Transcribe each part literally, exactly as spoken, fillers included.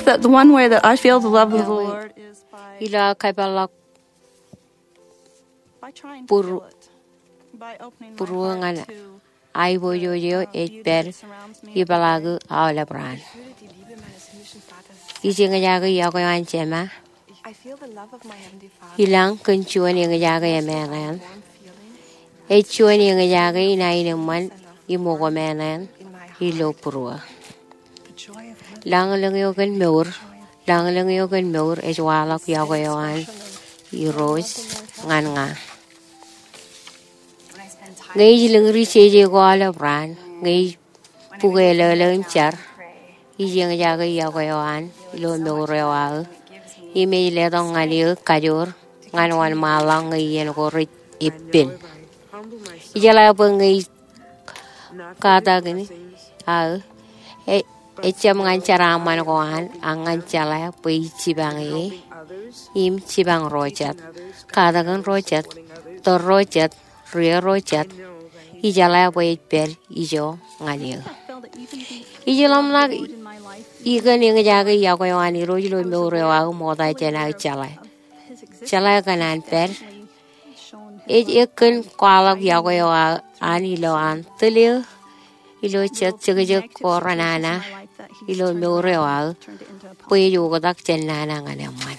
the, the one way that I feel the love of the Lord is by, ilo aō kōpeḷḷọk by trying to feel it, by opening my heart to, būruō ñan aiboojoj eo ej pād ipeḷaakū aolep raan. Ij eñjake iọkwe eo an Jema ilañ kōn juon eñjake emeeṇeeṇ. Ej juon eñjake inaaj eṃṃan im okōmeeṇeeṇ ilo būruō. Lañlōñ eo kōn mour, lañlōñ eo kōn mour ej waḷọk iọkwe eo an Irooj ñan ña. Ñe ij lōñri jeje ko aolep raan, ñe ij bukwe elōlō im jar, ij eñjake iọkwe eo an ilo mour eo aō, im ej letok ñan eō kajoor ñan wōnṃaanḷọk ñe iien ko rej eppen. Ijeḷā bwe ñe ij katakin aō, e, ejjab ñan jeraaṃṃan ko an, ak ñan jeḷā bwe ij jipañ e im jipañ ro jet, katakin ro jet, tōl ro jet, ri ro jet, ijeḷā bwe ej pād ijo ñan eō. Ij ḷōmṇak ikōn eñjake iọkwe eo an Irooj ilo mour eo aō ṃokta jān aō jeḷā. Jeḷā kōn an pād. Ej ekkōn kwaḷọk iọkwe eo an ilo an tōl eō ilo jet jekjek ko renana ilo mour eo aō bwe ej oktak jān nana ñan eṃṃan.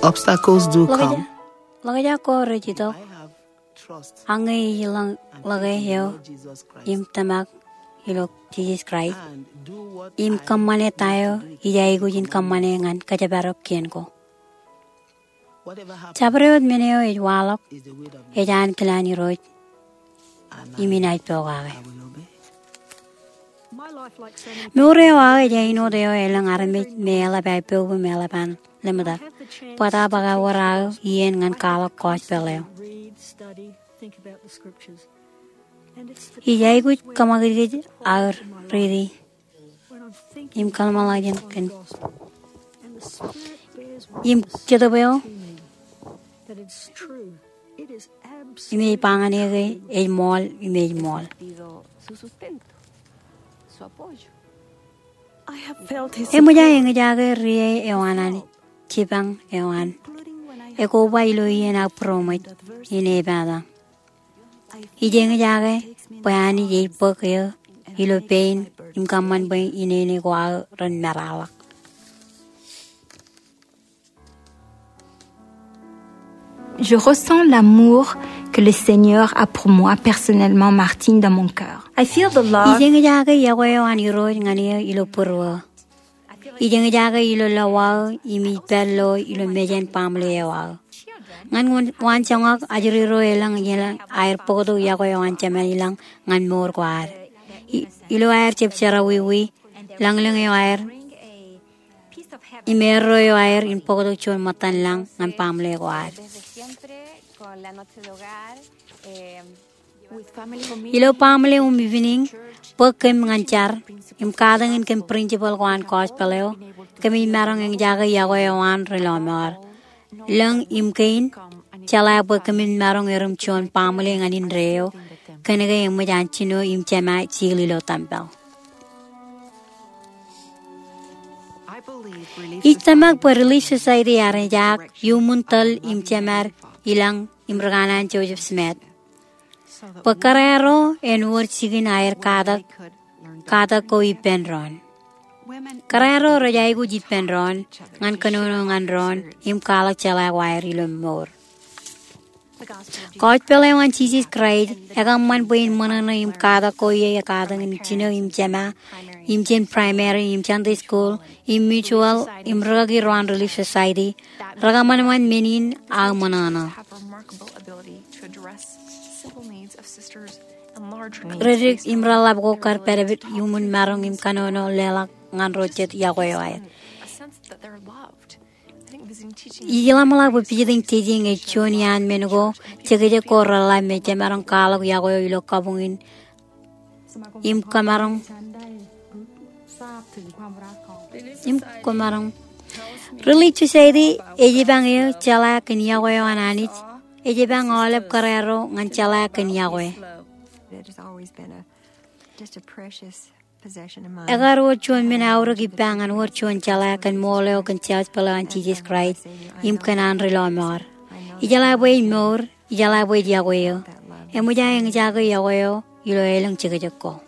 Obstacles do come. Ḷōkjak ko rej itok. Ak ñe ij ḷōñ ḷōke eo im tōmak ilo Jisōs Kraist im kōṃṃane ta eo ij aikuj in kōṃṃane ñan kōjparok kien ko. Jabdewōt men eo ej waḷọk ej ankilaan Irooj im inaaj pokake. Mour eo aō ej āinwōt eo elōñ armej me eḷap aer poub im eḷap an lemtak bōtab ak ewōr aō iien ñan kwaḷọk gospel eo. Ij aikuj kōṃakūtkūt aō riiti im kōḷmānḷọkjeṇ kōn im jetōb eo im ej ba ñan eō ke ej ṃool im ej ṃool. Eṃōj aō eñjake ri eo an Anij, jipañ eo an, ekoba ilo iien aō būroṃōj in epata. Ij eñjake bwe Anij ej bōk eō ilo pein im kōṃṃan bwe inene ko aō ren meraḷọk. Je ressens l'amour que le Seigneur a pour moi personnellement, Martine, dans mon cœur. I feel the love. Ij eñjake iọkwe eo an Irooj ñan eō ilo būruō. Ij eñjake ilo lọwa eo im ij pād lo ilo mejān baaṃle eo aō. Ñan waan, waanjoñak ajri ro elōñ, elōñ aer bōktok iọkwe eo an Jema ilañ ñan mour ko ad. I, ilo aer jab jerọwiwi, lañlōñ eo aer im erro eo aer in bōktok juon ṃōttan lañ ñan baaṃle ko ad. Ilo baaṃle im evening, bōk kōm ñan jar im katakin kōm principle ko an gospel eo, kōmij maroñ eñjake iọkwe eo an rilọmọọr. Lōñ im kein, jeḷā bwe kōmin maroñ erom juon baaṃle ñan indeeo, kōnke eṃōj an jino im jema jil ilo tempel. Ij tōmak bwe Relief Society ear ejaak iuṃwin tōl im jemād ilañ im rikanaan Joseph Smith bwe kōrā ro en wōr jikin aer katak, katak ko ippān doon. Kōrā ro rej aikuj ippān doon ñan kōnono ñan doon im kwaḷọk jeḷā ko aer ilo mour. Gospel eo an Jisōs Kraist ekōṃṃan bwe in ṃōṇōṇō im katak ko ie, katak in jino im jema, im jān primary im Sunday school im mutual im rikaki ro an Relief Society, rekōṃanṃan men in aō ṃōṇōṇō. Redik im reḷap ko kar pād iuṃwin maroñ im kōnono leḷọk ñan ro jet iọkwe eo aer. Ij ḷōmṇak bwe visiting teaching ej juon iaan men ko jekjek ko reḷap me jemaroñ kwaḷọk iọkwe eo ilo kabuñ in im kōmaroñ, im kōmaroñ. Relief Society ej ipañ eō jeḷā kōn iọkwe eo an Anij Ej ippān aolep kōrā ro ñan jeḷā kōn yokwe. Ekar wōt juon men aorōk ippa ñan wōt juon jeḷā kōn ṃool eo kōn Jerbal eo an Jisōs Kraist im kōn an ri lọmọọr. Ijeḷā bwe ej mour, ijeḷā bwe ej yokwe eo. Eṃōj aō eñjake yokwe eo ilo elōñ jekjek ko.